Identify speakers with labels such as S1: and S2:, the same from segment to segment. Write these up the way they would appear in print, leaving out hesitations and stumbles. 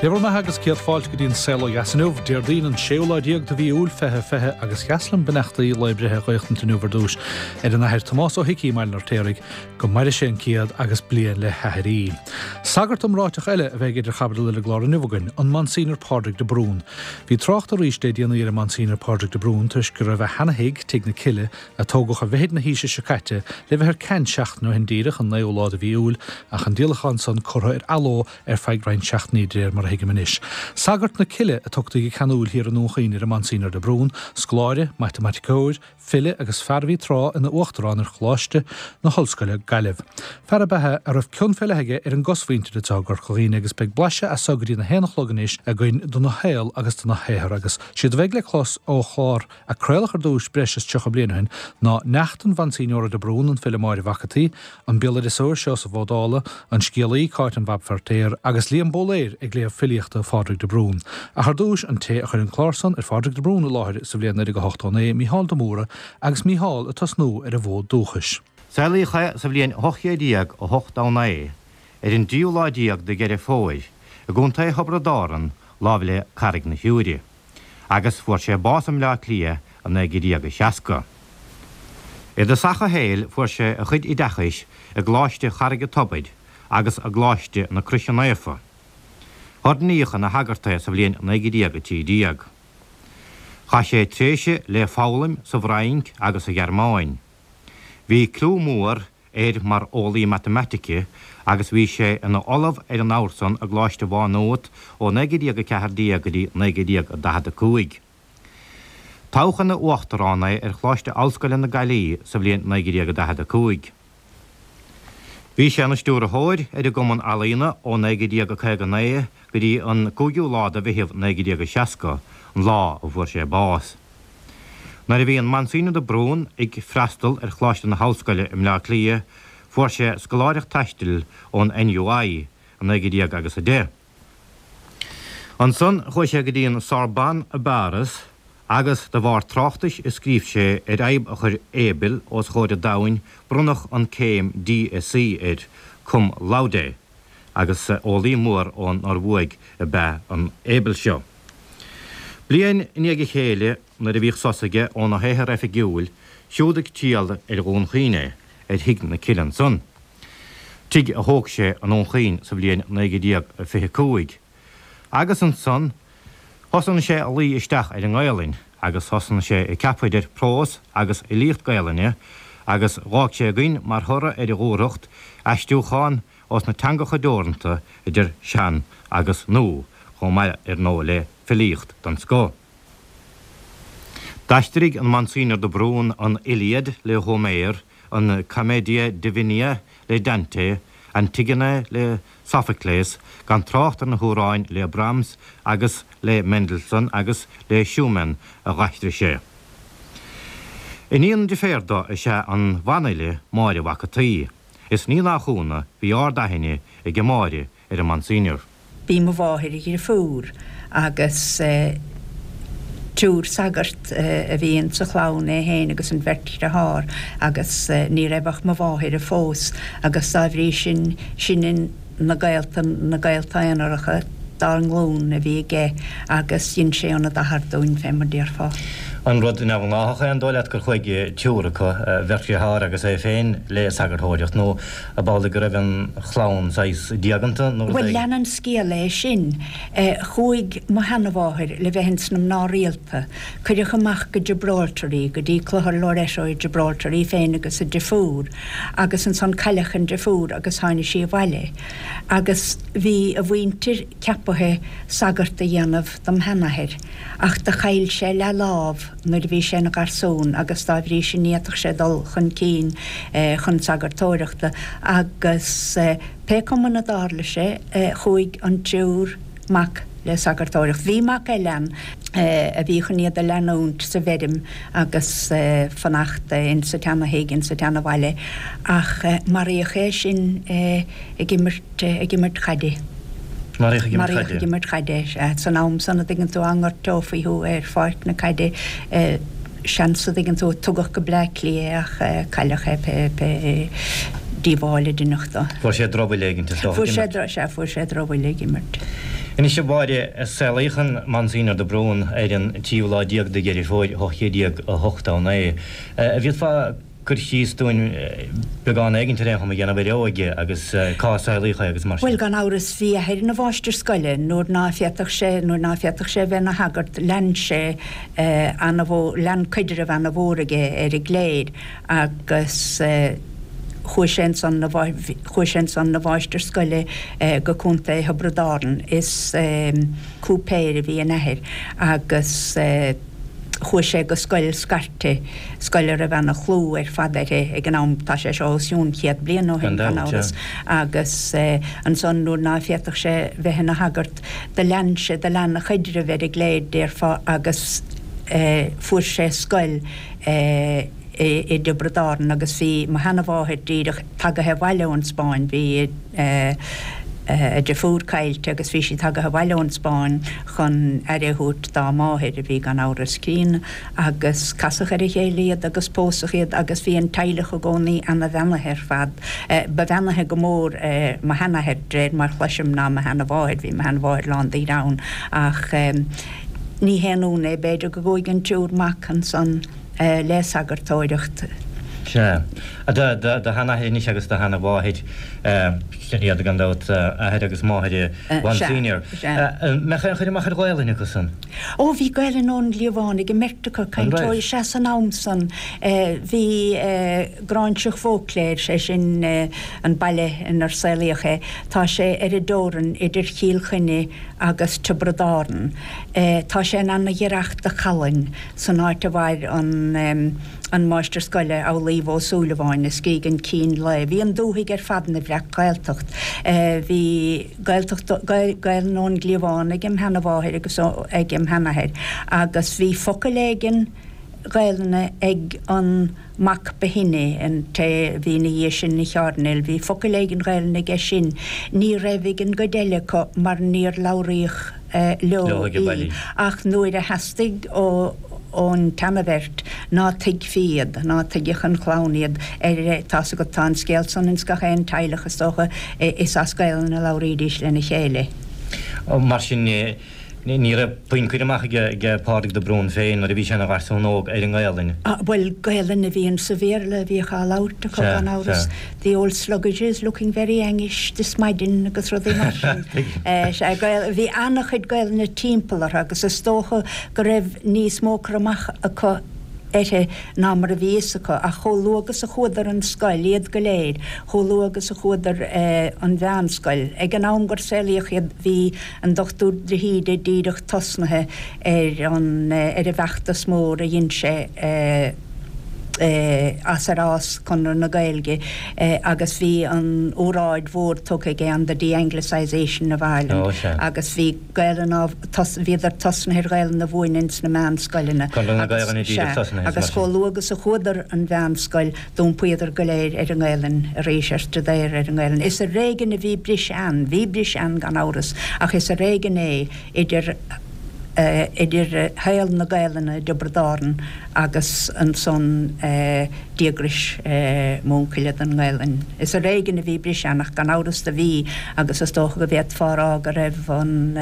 S1: Dé bhur mbeatha agus céad fáilte go dtí an Saol Ó Dheas inniu, Déardaoin an séú lá déag de mhí Iúil 2020 agus is deas liom beannachtaí lae breithe a ghaochtaint inniu ar dtús ar an Athair Tomás Ó hIcí i mBaile an Fheirtéaraigh, go maire sé an céad agus bliain le haithrí. Sagart iomráiteach eile a bheidh idir chaibidil ar an gclár inniu againn, an Monsignor Pádraig de Brún. Bhí trácht arís le déanaí ar an Monsignor Pádraig de Brún toisc go raibh a sheana-thigh, Tigh na Cille, a tógadh i bhfichid na haoise seo caite, le bheith ar ceant seachtain ó shin díreach, an naoú lá de mhí Iúil, ach an díolachán san curtha ar athló ar feadh roinnt seachtainí de réir mar a thuigim anois. Sagart na Cille a tugtaí go ceanúil thiar i nDún Chaoin ar an Monsignor de Brún, scoláire, matamaiticeoir, file agus fear a bhí tráth ina uachtarán ar Choláiste na hOllscoile, Gaillimh. Fear ab ea é a raibh cion fé leith aige ar an gcosmhuintir atá i gCorca Dhuibhne agus beidh blaiseadh as so go dtí na haon a chlog anois againn dona shaol agus dona shaothar agus siad a bheidh le clos ó chlár a craoladh ar dtúis breis is 30 bliain ó shin ná neacht an Mhonsignora de Brún, an file Máire Mhac a' tSaoi, an béaloideasóir Seosamh Ó Dálaigh, an scéalaí Cáit an Bhab Feirtéar agus Liam Bóiléir ag léamh filíochta Phádraig de Brún. Ach ar dtúis, an té a chuir an clár san ar Phádraig de Brún i láthair sa bhliain 1989, Mícheál de Mórdha, agus Mícheál ag tosnú ar an bhfód dúchais.
S2: Saolaíodh é sa bhliain 1889, ar an dtríú lá déag de Dheireadh Fómhair, i gContae Thiobraid Árann, láimh le Carraig na Siúire. agus fuair sé bás i mBleá Cliath i 1960. I dtosach a shaoil fuair sé a chuid oideachais i gColáiste Charraig an Tobair agus i gColáiste na Croise Naofa. Oirníodh ina shagart é sa bhliain 1913. Chaith sé tréimhse le foghlaim sa bhFrainc agus sa Ghearmáin. Bhí clú mór air mar eolaí matamaitice agus bhí sé ina ollamh ar an abhar san i gColáiste Mhá Nuat ó 1914 go dtí 1945. Toghadh ina uachtarán é ar Choláiste Ollscoile na Gaillimhe sa bhliain 1945. Bhí sé ina stiúrthóir ar an gCumann Ealaíona ó 1959 go dtí an 5ú lá de Mheitheamh 1960, an lá a bhfuair sé bás. Nuair a bhí an Monsignor de Brún ag freastal ar Choláiste na hOllscoile i mBleá Cliath fuair sé scoláireacht taistil ón NUI i 19 agus 10. Ansan chuaigh sé go dtí an Sorbonne i bPáras agus de bharr tráchtais a scríobh sé ar fhadhb a chuir Abel os chomhair an domhain bronnadh an céim DSc air cum laude. agus eolaí mór ón Ioruaidh ab ea an Abel seo. Bliain i ndiaidh a chéile, nuair a bhíodh sos aige óna shaothar oifigiúil, siúd ag triall ar Dhún Chaoin é, ar Thigh na Cille ansan, tigh a thóg sé i nDún Chaoin sa bhliain 1925, agus ansan thosnaigh sé a luí isteach ar an nGaelainn agus thosnaigh sé ag ceapadh idir prós agus fhilíocht Gaelainne agus dh'fhág sé againn mar thoradh ar a dhúthracht aistriúchán ós na teangacha deoranta idir sean agus nua, chomh maith ar ndóigh le filíocht den scoth. D'aistrigh an Monsignor de Brún an Iliad le Homer, an Commedia Divina le Dante, Antigone le Sophocles, gan trácht ar na hamhráin le Brahms agus le Mendelssohn agus le Schumann a dh'aistrigh sé. Iníon deirféar dó is ea an bhanfhile Máire Mhac a' tSaoi. Is ní nach ionadh, bhí ard-aithne aige Máire ar an Monsignor.
S3: B'í mo mháthair a dhrifiúr agus triúr sagart a bhí ins sa chlann, é féin agus an bheirt dhriotháir agus ní raibh ach mo mháthair a phós agus dá bhrí sin, sin na gaolta, na gaolta aonaracha dár nglúin a bhí aige agus dhein sé ionad athar dúinn, fé mar déarfá.
S2: An rud neamhghnáthach é, an dóigh leat, gur chuaigh triúr acu, beirt dheartháir agus é féin, le sagarthóireacht, nó ab amhlaidh go raibh an chlann saghas diaganta
S3: nó rud
S2: Bhuel,
S3: lean an scéal é sin. Chuaigh mo sheanamháthair le bheith ins na mná rialta. Cuireadh amach go Gibraltar í, go dtí Clochar Loreto i Gibraltar, í féin agus a deirfiúr, agus ansan cailleadh an deirfiúr agus tháinig sí abhaile. Agus bhí a mhuintir ceapaithe sagart a dhéanamh dom sheanathair, ach do chaill sé leath-lámh nuair a bhí sé ina gharsún agus dá bhrí sin ní fhéadfadh sé dul chun cinn chun sagartóireachta agus pé cuma ina dtarla sé chuaigh an triúr mac le sagartóireacht. Bhí mac eile ann a bhí chun iad a leanúint sa bhfeirm agus fanacht insa tseana-thigh, insa tseana-bhaile ach maraíodh é sin ag imirt. ag imirt chaide.
S2: Maraíodh ag imirt
S3: chaide. Maraíodh ag imirt chaide, sea. San am san, a dtuigeann tú, dá ngortófaí thú ar pháirc na caide, seans, a dtuigeann tú, tugadh go Bleá Cliath é ach cailleadh é pé, pé díobháil a deineadh dó.
S2: Fuair sé drochbhuille éigin, is dócha,
S3: ag imirt. Fuair sé, sea, fuair sé drochbhuille ag imirt.
S2: Anois a Mháire, saolaíodh an Monsignor de Brún ar an tríú lá déag de Dheireadh Fómhair 1889. An bhféadfá cur síos dúinn beagán éigint ar aon chuma a dhéanamh ar a óige agus cá saolaíodh é agus mar sin?
S3: Bhuel, gan amhras, bhí a athair ina mháistir scoile. Nuair ná féadfadh sé, nuair ná féadfadh sé a bheith ina shagart, lean sé ana-mhór, lean cuidreamh ana-mhór aige ar an gcléir agus chuaigh sé ansan 'na, chuaigh sé ansan 'na mháistir scoile go Contae Thiobraid Árann. Is cúipéir a bhí ina athair agus. Chuaigh sé go scoil scairte, scoil a raibh ana-chlú ar fad uirthi ag an am, tá sé seo os cionn chéad bliain ó shin, gan amhras, agus ansan nuair ná féadfadh sé bheith ina shagart, do lean sé, do lean a chaidreamh ar an gcléir, déarfá, agus fuair sé scoil i dTiobraid Árann agus bhí mo sheanamháthair díreach tagaithe abhaile ón Spáinn, bhí a deirfiúr caillte agus bhí sí tagaithe abhaile ón Spáinn chun aire a thabhairt dá máthair, a bhí gan amhras críonna, agus casadh ar a chéile iad agus pósadh iad agus bhí an teaghlach i gcónaí ana-bheannaithe ar fad. Ba bheannaithe go mór mo sheanathair, de réir mar chloisim, ná mo sheanamháthair, bhí mo sheanamháthair lán de ghreann ach ní haon ionadh é, b'fhéidir, go gcuaigh an triúr mac ansan le sagartóireacht.
S2: Sea. Do sheanathair anois agus do sheanamháthair, sin iad gan dabht, athair agus máthair Mhonsenior. Sea. An mbeadh aon chur amach ar Ghaelainn acu san?
S3: Ó, bhí Gaelainn ón gcliabhán ag an mbeirt acu, cainteoirí, sea, san am san. Bhí Gráinseach Bheauclare, sé sin an baile inar saolaíodh é, tá sé ar an dteorainn idir Chill Chainnigh agus Tiobraid Árann. Tá sé in ana-ghiorracht do Challainn. san áit a mhair an an máistir scoile Amhlaoibh Ó Súilleabháin a scrígh an Cín Lae. Bhí an dúthaigh ar fad ina bhreac-Ghaeltacht. Bhí Gaeltacht, Gaelainn ón gcliabhán ag im sheanamháthair agus ag im sheanathair agus bhí focal éigin Gaelainne ag an mac ba shine, an té a bhí ina dhiaidh sin ina chairdinéal, bhí focal éigin Ghaelainne aige sin. Ní raibh ag an gcuid eile acu mar níor labhraíodh leo í. Ach nuair a theastaigh ón tseanabheirt ná tuigfí iad, ná tuigfeadh an chlann iad, ar, tá's agat, tá an scéal san ins gach aon teaghlach is dócha, is as Gaelainn a labhraídís lena chéile.
S2: Mar sin, Ní raibh puinn cur amach ag Pádraig de Brún féin nuair a bhí sé ina gharsún óg ar an nGaelainn.
S3: Bhuel, Gaelainn a bhí sa Bhéarla a bhíodh á labhairt acu gan amhras. The old sluggage is looking very angish this maidin agus rudaí mar sin. Sea, bhí an-chuid Gaelainne timpeall orthu agus is dócha go raibh níos mó cur amach acu uirthi ná mar a bhí fhios acu, ach chomh luath agus a chuadar an scoil, iad go léir, chomh luath agus a chuadar an mheánscoil, ag an am gur saolaíodh iad, bhí an Dochtúir de hÍde díreach tosnaithe ar an ar an bhfeachtas mór a dhein sé as ar fhás Conradh na Gaeilge agus bhí an óráid mhór tugtha aige on the de-Anglicisation of Ireland agus bhí Gaelainn á bhíodar tosnaithe ar Ghaelainn a mhúineadh ins na meánscoileanna agus sea agus chomh luath agus a chuadar an mheánscoil D'iompaíodar go léir ar an nGaelainn arís, ar staidéar ar an nGaelainn. Is ar éigean a bhí briseadh ann, bhí briseadh ann gan amhras, ach is ar éigean é idir idir shaol na Gaelainne i dTiobraid Árann agus ansan díograis m'uncaile don nGaelainn. Is ar éigean a bhí briseadh ann, ach gan amhras do bhí, agus is dócha go bhféadfá a rá go raibh an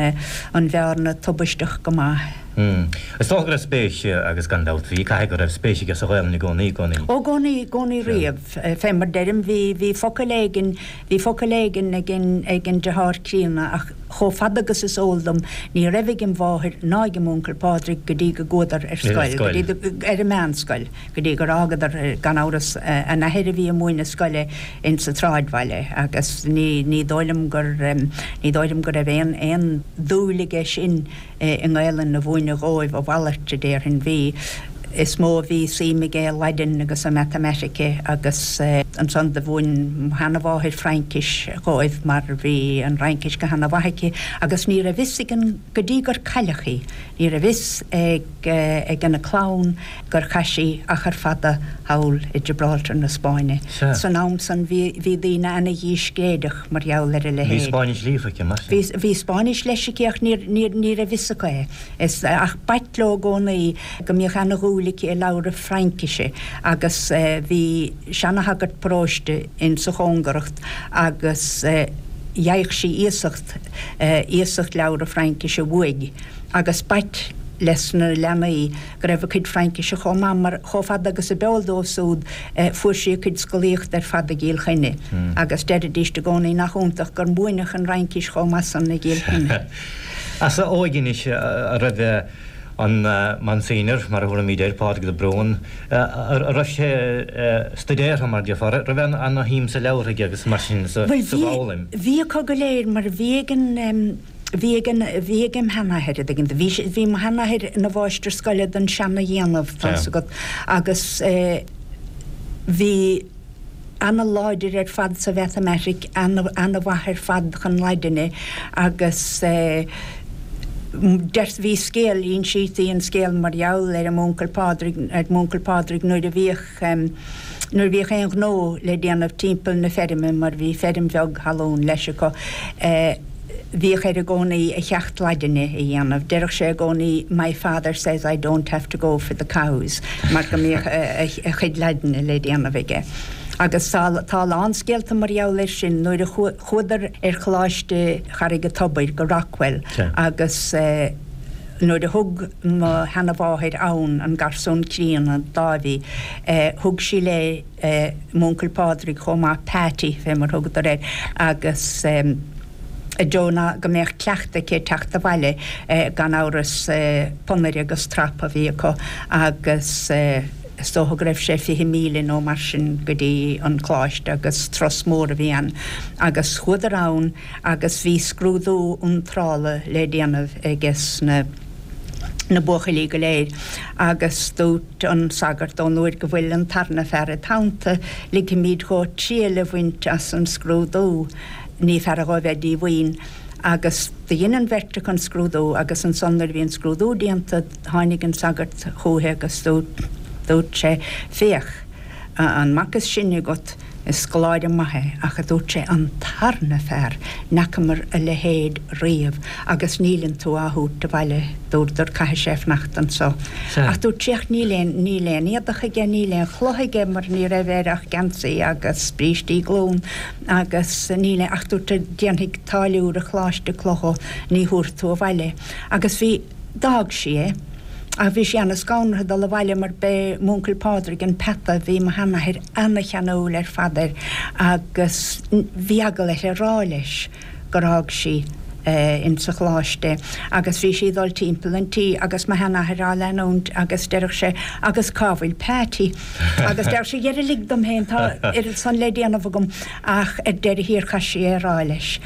S3: an bhearna tubaisteach go maith.
S2: Is dócha go raibh spéis, agus gan dabht bhí, caithfidh go raibh spéis aige sa Ghaelainn i gcónaí, i gcónaí.
S3: Ó, i gcónaí, i gcónaí riamh. Fé mar deirim, bhí, bhí focal éigin, bhí focal éigin ag an, ag an deartháir críonna ach chomh fada agus is eol dom, ní raibh ag an mháthair ná ag an m'uncail Pádraig go dtí go gcuadar ar scoil, go dtí, ar an meánscoil, go dtí gur fhágadar, gan amhras, an athair a bhí ag múineadh scoile in sa tsráidbhaile agus ní, ní dóigh liom gur, ní dóigh liom go raibh aon, aon dúil aige sin i nGaelainn a mhúineadh dhóibh, a mhalairt, a déarfainn. Bhí, is mó a bhí suim aige i Laidin agus i matamaitice agus ansan do mhúin mo sheanamháthair Fraincis dhóibh mar bhí an Fhraincis go hana-mhaith aici agus ní raibh fhios ag an, go dtí gur cailleadh í, ní raibh fhios ag, ag an clann gur chaith sí achar fada thall i Gibraltar na Spáinne.
S2: Sea.
S3: San am san bhí, bhí daoine ana-dhíscréideach mar gheall ar a
S2: Bhí
S3: leithéid.
S2: Spáinnis líofa aici, mar
S3: sin. Bhí, bhí Spáinnis leis aici ach níor, níor, ní raibh fhios acu é. Is, ach b'ait leo i gcónaí go mbíodh ana-dhúil aici i labhradh Fraincise agus bhí seana-shagart paróiste in sa chóngaracht agus. gheibheadh sí iasacht, iasacht leabhra Fraincise uaidh agus b'ait les na leanaí go raibh a cuid Fraincise chomh maith mar chomh fada agus a b'eol dóibh súd fuair sí a cuid scolaíochta ar fad i gCill Chainnigh agus deiridíst i gcónaí nach iontach gur múineadh an Fhraincis chomh maith san i gCill Chainnigh.
S2: As a óige anois a raibh an Monsignor, mar a thabharfaimid air, Pádraig de Brún, a raibh sé stuidéartha mar déarfá, raibh ana-shuim sa leabhartha aige agus mar sin sa bhfoghlaim?
S3: Bhí acu go léir mar bhí ag an Bhí ag an, bhí ag im sheanathair, a dtuigeann tú. Bhí sé, bhí mo sheanathair ina mháistir scoile den seana-dhéanamh, tá 'fhios agat, agus eh bhí ana-láidir ar fad sa mhatamaitic, ana, ana-mhaith ar fad chun Laidine agus eh deir, bhí scéal, insítí an scéal mar gheall ar an m'uncail Pádraig, ar m'uncail Pádraig nuair a bhíodh eh nuair a bhíodh aon ghnó le déanamh timpeall na feirme mar bhí feirm bheag thalún leis acu eh, Bhíodh air i gcónaí a cheacht Laidine a dhéanamh. Deireadh sé i gcónaí My father says I don't have to go for the cows mar go mbíodh a chuid Laidine le déanamh aige. Agus tá a lán scéalta mar gheall air sin. Nuair a chuadar ar Choláiste Charraig an Tobair go Rockwell agus nuair a thug mo sheanamháthair ann an garsún críonna Dáibhí, thug sí léi m'uncail Pádraig chomh maith, Patty fé mar thugadar air, agus i dtreo ná go mbeadh cleachtadh aici ag teacht abhaile, gan amhras ponaire agus trap a bhí acu agus is dócha go raibh sé 20 míle nó mar sin go dtí an coláiste agus turas mór a bhí ann agus chuadar ann agus bhí scrúdú iontrála le déanamh aiges na na buachaillí go léir agus dúirt an sagart ón uair go bhfuil an tarna fear id theannta ligfimíd dhó triail a bhaint as an scrúdú, ní fearra dhó bheith díomhaoin. Agus do dhein an bheirt acu an scrúdú agus ansan nuair a bhí an scrúdú déanta tháinig an sagart chúithi agus dúirt dúirt sé féach, an mac is sine agat, Is scoláire maith é, ach a dúirt sé, an tarna fear, n'fheacamar a leithéid riamh agus níleann tú á thabhairt abhaile, dúradar, caithfidh sé fanacht anso. Ach dúirt sé, ach níl aon, níl aon éadach aige, níl aon chulaith aige mar ní raibh air ach geansaí agus brístí glún agus níl aon, ach dúirt sé, déanfaidh táilliúir an choláiste culaith dhó, ní thabharfaidh tú abhaile é. Agus bhí. D'fhág sí é. Ach bhí sí ana-scanraithe dul abhaile mar b'é m'uncail Pádraig an peata, bhí mo sheanathair ana-cheanúil ar fad air agus bhí eagal uirthi a rá leis gur fhág sí ins sa choláiste é. Agus bhí sí ag dul timpeall an tí agus mo sheanathair á leanúint agus deireadh sé agus cá bhfuil Peaití? Agus deireadh sí dhera lig dom féin tá oiread san le déanamh agam ach ar deireadh thiar chaith sí é a rá leis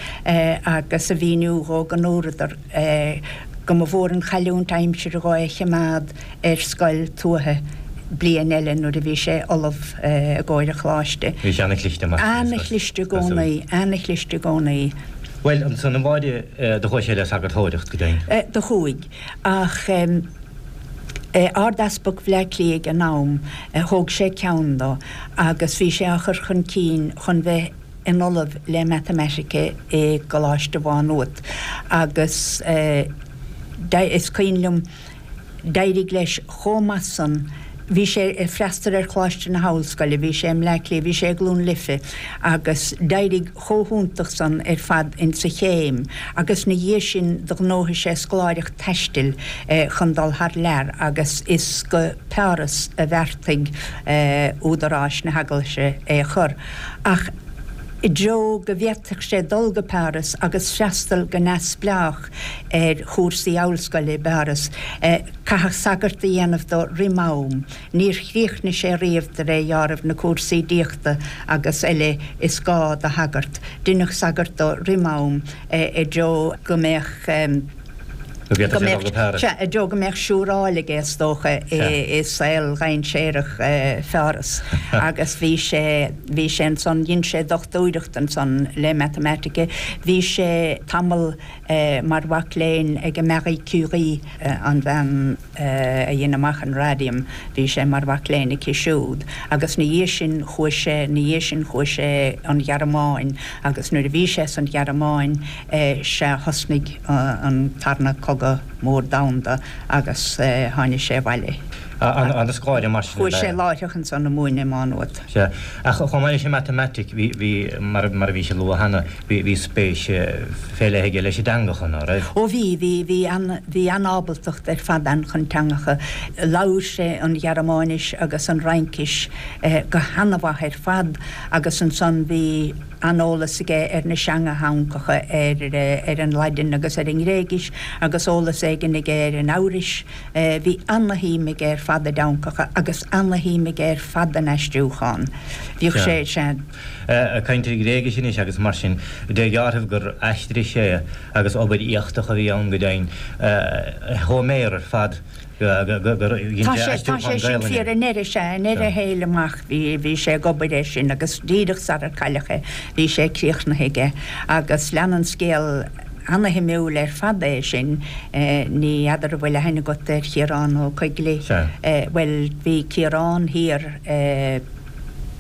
S3: agus a mhíniú dhó go ndúradar go mba mhór an chailliúint aimsire dhó é a chimeád ar scoil tuaithe bliain eile nuair a bhí sé ullamh i gcomhair an choláiste.
S2: Bhí sé ana-chliste mar sin.
S3: Ana-chliste i gcónaí, ana-chliste i gcónaí.
S2: Bhuel, ansan a Mháire, do chuaigh sé le sagartóireacht, go deimhin?
S3: Do chuaigh, ach Ard-Easpag Bhleá Cliath ag an am, thóg sé ceann dó agus bhí sé á chur chun cinn chun bheith ina ollamh le Matamaitice i gColáiste Mhá Nuat agus is cuimhin liom d'éirigh leis chomh maith san, bhí sé ag freastal ar Choláiste na hOllscoile, bhí sé i mBleá Cliath, bhí sé i gCluain Life agus d'éirigh chomh hiontach san ar fad insa chéim agus 'na dhiaidh sin do ghnóthaigh sé scoláireacht taistil chun dul thar lear agus is go Páras a bheartaigh údaráis na hEaglaise é a chur. Ach i dtreo go bhféadfadh sé dul go Páras agus freastal go neamhspleách ar chúrsaí ollscoile i bPáras, caitheadh sagart a dhéanamh dó roim am. Níor chríochnaigh sé riamh de réir dheáraimh na cúrsaí diachta agus eile is gá do shagart. Deineadh sagart dó roim am i dtreo go mbeadh.
S2: Go bhféadfadh sé dul go Páras.
S3: Sea, i dtreo go mbeadh siúráil aige, is dócha, i saol dhainséarach Pháras. Agus bhí sé, bhí sé ansan, dhein sé dochtúireacht ansan le matamaitice. Bhí sé tamall mar mhac léinn ag Marie Curie, an bhean a dhein amach an radium, bhí sé mar mhac léinn aici siúd. Agus 'na dhiaidh sin chuaigh sé, 'na dhiaidh sin chuaigh sé an Ghearmáin agus nuair a bhí sé san Ghearmáin, sea thosnaigh an Tarna Cogadh. mór domhanda agus tháinig sé abhaile.
S2: An-scoláire mar sin ab ea.
S3: Chuaigh sé láithreach ansan a múineadh i Má Nuad.
S2: Sea. Ach chomh maith leis an matamaitic, bhí, bhí, mar, mar a bhís ag lua cheana, bhí, bhí spéis fé leith aige leis an dteangacha, ná raibh?
S3: Ó bhí, bhí, bhí an, bhí an-ábaltacht ar fad ann chun teangacha. Labhair sé an Ghearmáinis agus an Fhraincis go han-mhaith ar fad agus ansan bhí an-eolas aige ar na seanteangacha, ar, ar an Laidin agus ar an nGréigis agus eolas éigin aige ar an Eabhrais. Bhí ana-shuim aige ar fad i dteangacha agus ana-shuim aige ar fad in aistriúchán. Bhíodh sé, sea.
S2: Ag caint ar Ghréigis anois agus mar sin de dhealramh gur aistrigh sé agus obair éachtach a bhí ann go deimhin, Hóiméar ar fad gur dhein
S3: sé aistriúchán Gaelainne. Tá sé sin fíor, i ndeireadh, sea, i ndeireadh a shaoil amach bhí, bhí sé ag obair air sin agus díreach sarar cailleadh é bhí sé críochnaithe aige agus lean an scéal Ana-shuimiúil ar fad é sin. Ní fheadar an bhfuil aithne agat ar Chiarán Ó Coigligh?
S2: Sea.
S3: Bhuel, bhí Ciarán thiar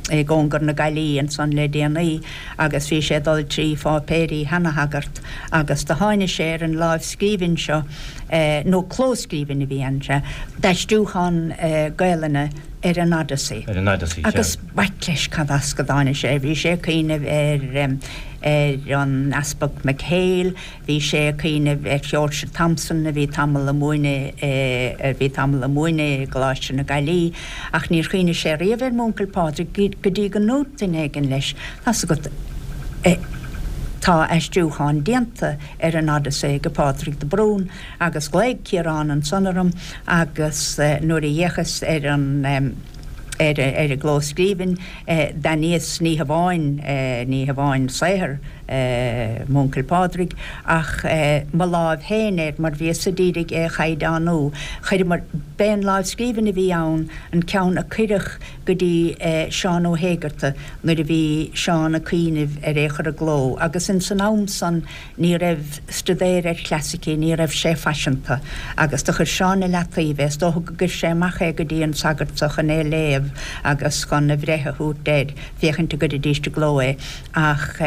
S3: i gcóngar na Gaillimhe ansan le déanaí agus bhí sé ag dul trí pháipéirí sheana-shagart agus do tháinig sé ar an lámhscríbhinn seo, nó clóscríbhinn a bhí ann, sea, d'aistriúchán Gaelainne ar an
S2: Odyssey. Ar an Odyssey,
S3: sea. Agus b'ait leis cad as go dtáinig sé. Bhí sé ag cuimhneamh ar. ar an Easpag McHale, bhí sé ag cuimhneamh ar Sheoirse Thompson a bhí tamall ag múineadh a bhí tamall ag múineadh i gColáiste na Gaillimhe, ach níor chuimhnigh sé riamh ar m'uncail Pádraig go dtí go ndúirt duine éigin leis, tá's agat, tá aistriúchán déanta ar an Odyssey ag Pádraig de Brún agus ghlaoigh Ciarán ansan orm agus nuair a d'fhéachas ar an ar an gclóscríbhinn D'aithníos ní hamháin, ní hamháin saothar m'uncail Pádraig ach mo láimh féin air mar bhíos-sa d'iarraidh é a chaighdeánú. Chuireamar, b'é an lámhscríbhinn a bhí ann an ceann a cuireadh go dtí Seán Ó hÉigeartaigh nuair a bhí Seán ag cuimhneamh ar é chur i gcló agus ins an am san Ní raibh stuidéar ar chlasaicí, ní raibh sé faiseanta, agus do chuir Seán i leataoibh é. Is dócha go gcuir sé amach é go dtí an sagart so chun é léamh agus chun a bhreith a thabhairt air, féachaint a gcuirfidíst i gcló é. Ach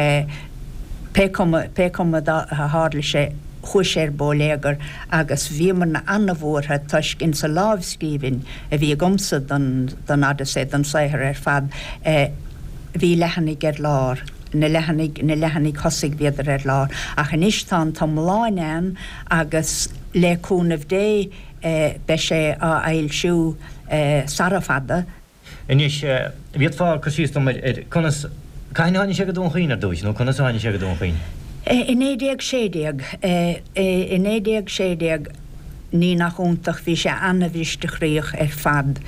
S3: pé cuma, pé cuma a tharla sé, chuaigh sé ar bóiléagar agus bhíomarna ana-bhuartha toisc insa lámhscríbhinn a bhí agamsa don, don Odyssey, don saothar ar fad, bhí leathanaigh ar lár. Na leathanaigh, na leathanaigh thosaigh bhíodar ar lár. Ach anois tá an t-iomláin ann agus le cúnamh Dé beidh sé á fhoilsiú sara fada.
S2: Anois, bhféadfá cur síos dom ar, ar conas, cathain a tháinig sé go Dún Chaoin ar dtúis, nó conas a tháinig sé go Dún Chaoin?
S3: I 1916, i 1916, ní nach iontach, bhí sé ana-bhristeachroíoch ar fad.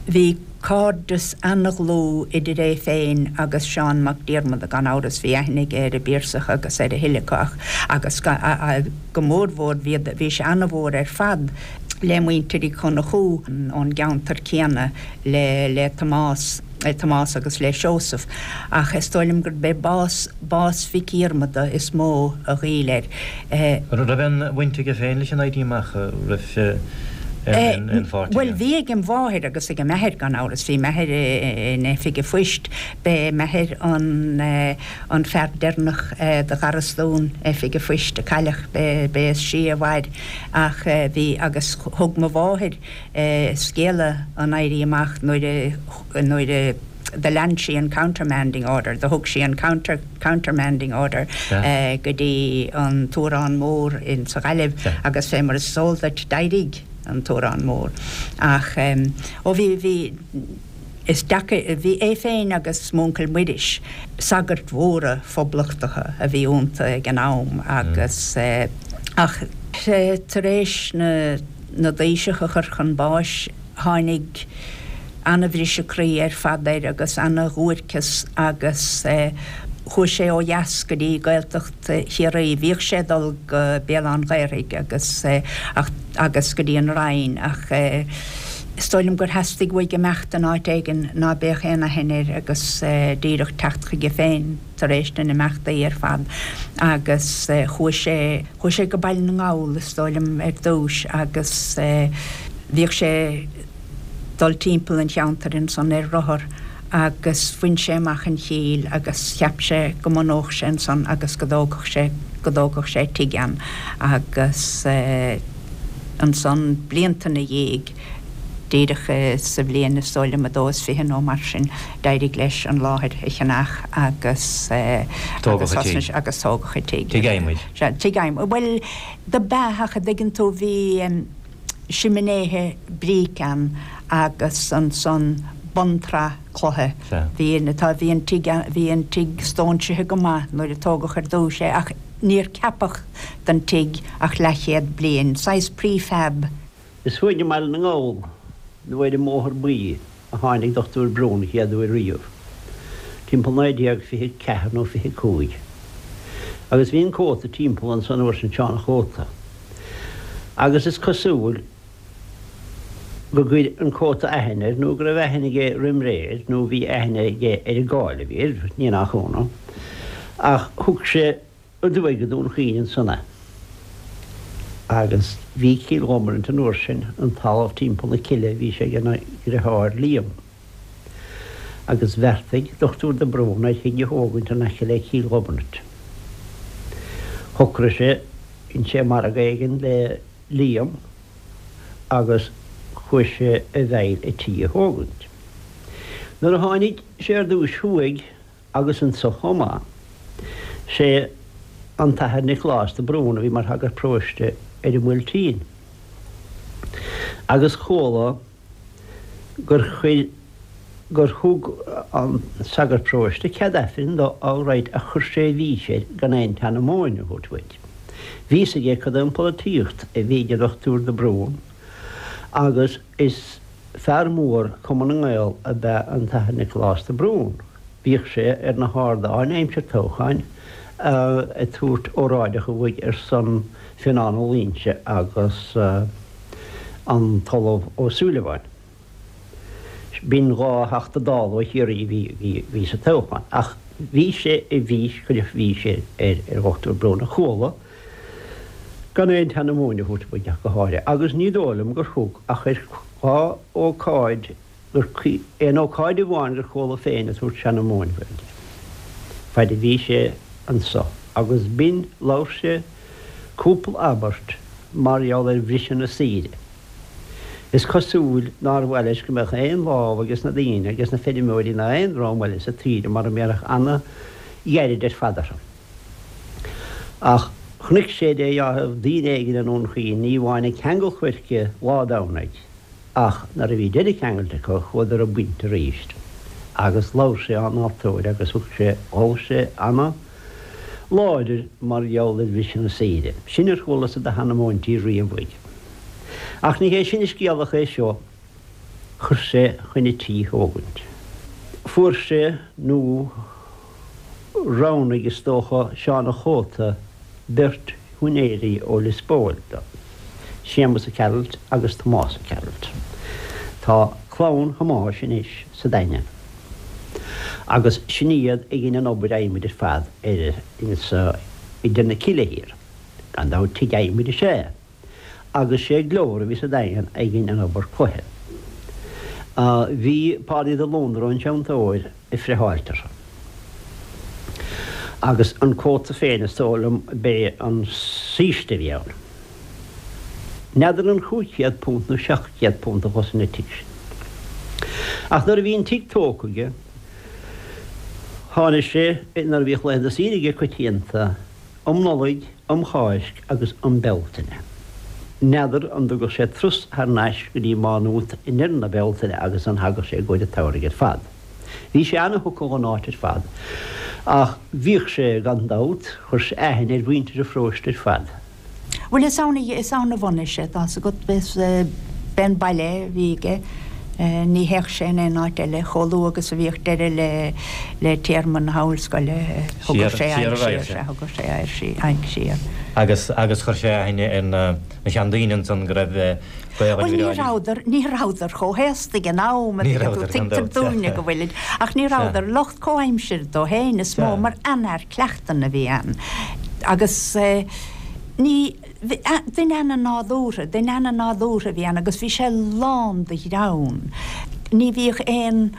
S3: Bhí. Cairdeas ana-dhlúth idir é féin agus Seán Mac Diarmada, gan amhras. Bhí aithne aige ar an bPiarsach agus ar a thuilleadh acu ach, agus go mórmhór bhí, bhí sé ana-mhór ar fad le muintir Uí Chonchú ón gceantar céanna, le, le Tomás, le Tomás agus le Seosamh. Ach is dóigh liom gurb é bás, bás Mhic Dhiarmada is mó a ghoill air.
S2: An raibh aon bhaint aige féin leis an Éirí Amach? Raibh sé aon pháirt aige?
S3: Bhuel, bhí ag an mháthair agus ag an athair, gan amhras. Bhí m'athair in oifig an phoist. B'é m'athair an fear deireanach de gharastún oifig an phoist a cailleadh. B'é is sia a mhair. Ach bhí, agus thug mo mháthair scéala an Éirí Amach nuair a, nuair a do lean sí an countermanding order, do thug sí an counter, countermanding order go dtí an tUarán Mór in sa Ghaillimh agus fé mar is eol duit d'éirigh an tUarán Mór. Ach ó bhí, bhí, is deacair, bhí é féin agus m'uncail Muiris, sagairt mhóra phoblachtacha a bhí iontu ag an am agus ach tar éis na, na dtaoiseach a chur chun báis tháinig ana-bhriseadh croí ar fad air agus ana-dhuairceas agus chuaigh sé ó dheas go dtí Gaeltacht Chiarraí. Bhíodh sé ag dul go Béal Átha'n Ghaorthaidh agus ach agus go dtí an Rinn ach is dóigh liom gur theastaigh uaidh imeacht in áit éigin ná beadh aon aithne air agus díreach teacht chuige féin tar éis na n-imeachtaí ar fad agus chuaigh sé Chuaigh sé go Baile na nGall is dóigh liom ar dtúis agus bhíodh sé dul timpeall an cheantair ansan ar rothar agus bhain sé amach an Chill agus cheap sé go mbunódh sé ansan agus go dtógfadh sé. go dtógfadh sé tigh ann agus ansan blianta 'na dhiaidh, díreach sa bhliain is dóigh liom a dó is 20 nó mar sin, d'éirigh leis an láthair a cheannach agus
S2: agus thosnaigh
S3: sé agus tógadh an tigh.
S2: Tigh adhmaid.
S3: Sea, tigh adhmaid. Bhuel, do b'ea ach a dtuigeann tú bhí siminéithe bríce ann agus ansan buntsraith cloiche.
S2: Sea.
S3: Bhí an, tá, bhí an tigh, bhí an tigh stóinsithe go maith nuair a tógadh ar dtúis é ach níor ceapadh don tigh ach leathchéad bliain. Saghas prefab.
S4: Is thuaidh i mBaile na nGall, nó ar an mBóthar Buí, a tháinig Dochtúir Brún an chéad uair riamh, timpeall 1924 nó 25. Agus bhí an Cóta timpeall anso an uair sin, Seán a' Chóta. Agus is cosúil go gcuir an Cóta aithne air, nó go raibh aithne aige roim ré air, nó bhí aithne aige ar an gcáil a bhí air, ní nach ionadh. Ach thug sé. aduaidh go Dún Chaoin ansan é. Agus bhí Cill Ghomarint an uair sin, an talamh timpeall na cille, bhí sé ag a dhriotháir Liam. Agus bheartaigh Dochtúir de Brún ar thigh a thógaint in aice le Cill Ghomarint. Shocraigh sé, dhein sé margadh éigin le Liam agus chuaigh sé i bhfeighil an tí a thógaint. Nuair a tháinig sé ar dtúis thuaidh, agus anso chomh maith. Sé an tAthair Nioclás de Brún a bhí mar shagart paróiste ar an mBuailtín. Agus chuala gur chuir, gur thug an sagart paróiste cead Aifrinn dó all right ach chuir sé i bhfís air gan aon tseanamóin a thabhairt uaidh. Bhí fhios aige cad é an pholaitíocht a bhí ag an Dochtúir de Brún agus is fear mór Cumann na nGael ab ea an tAthair Nioclás de Brún. Bhíodh sé ar na hardáin aimsir toghcháin ag tabhairt óráideacha uaidh ar son Fionán Ó Loingsigh agus an tOllamh Ó Súilleabháin. B'in 2 Theachta Dála ó Chiarraí a bhí sa toghchán. Ach bhí sé i bhfís, cuireadh fís ar Dhochtúir Brún a chuala gan aon tseanamóin a thabhairt uaidh ach go háirithe, agus ní dóigh liom gur thug ach ar dhá ócáid gur aon ócáid amháin gur chuala féin ag tabhairt seanamóin Ghaeilge, faid a bhí sé anso, agus b'in, labhair sé cúpla abairt mar gheall ar bhriseadh na saoire. Is cosúil nár mhaith leis go mbeadh aon lámh ages na daoine, ages na feirmeoirí ná aon dream eile sa tsaoire mara mbéarfadh ana-ghairid ar fad orthu. Ach chonaic sé dé dheáraimh daoine éigin i nDún Chaoin, ní amháin ag ceangal coirce lá Domhnaigh, Ach nuair a bhí deireadh ceangailte acu chuadar ag baint arís agus labhair sé á n-altóir agus thug sé, ghabh sé ana láidir mar gheall ar bhriseadh na saoire. Sin ar chualasa de sheanamóintí riamh uaidh. Ach ní hé sin an scéal ach é seo, chuir sé chuin an tí thógaint. Fuair sé, nó roghnaigh is dócha, Seán a' Chóta beirt shiúinéirí ó Lios Póil dó, Séamus Ó Cearailt agus Tomás Ó Cearailt. Tá clann Thomáis anois sa Daingean agus sin iad a dhein an obair adhmaid ar fad ar insa idir na cille thiar. Gan dabht tigh adhmaid is ea é. Agus sé Glór a bhí sa Daingean a dhein an obair cloiche. Bhí Pádaí de Lóndra an teanntóir ag friotháilt orthu. Agus an cóta féin is dóigh liom b'é an saoiste a bhí ann. N'fheadar an £500 nó £700 a chosain an tigh sin. Ach nuair a bhí an tigh tógtha aige, tháinig sé, nuair a bhíodh laethanta saoire aige coitianta, um Nollaig, um Cháisc agus um Bealtaine. N'fheadar an dtugadh sé turas thar n-ais go dtí Má Nuat i ndeireadh na Bealtaine agus an thagadh sé i gcomhair an tsamhraidh ar fad. Bhí sé ana-thugtha dhon áit ar fad. Ach bhíodh sé, gan dabht, chuir sé aithne ar mhuintir an pharóiste ar fad.
S3: Bhuel, is ann, is ann a bhunaigh sé, tá's agat, b'é an baile a bhí aige, ní théadh sé in aon áit eile, chomh luath agus a bhíodh deireadh le, le téarma na hollscoile, thugadh sé aghaidh siar, sea, thugadh sé aghaidh siar.
S2: Agus, agus chuir sé aithne ar na, na seandaoine ansan go raibh gaol
S3: Bhuel, ní rabhadar, ní rabhadar chomh haosta ag an am, a thuigeann tú, tuigtear dúinne go bhfuilid, ach ní rabhadar, lucht comhaimsire dó féin is mó, mar an-fhear cleachtan a bhí ann agus ní, duine ana-nádúrtha, duine ana-nádúrtha a bhí ann agus bhí sé lán de ghreann. Ní bhíodh aon.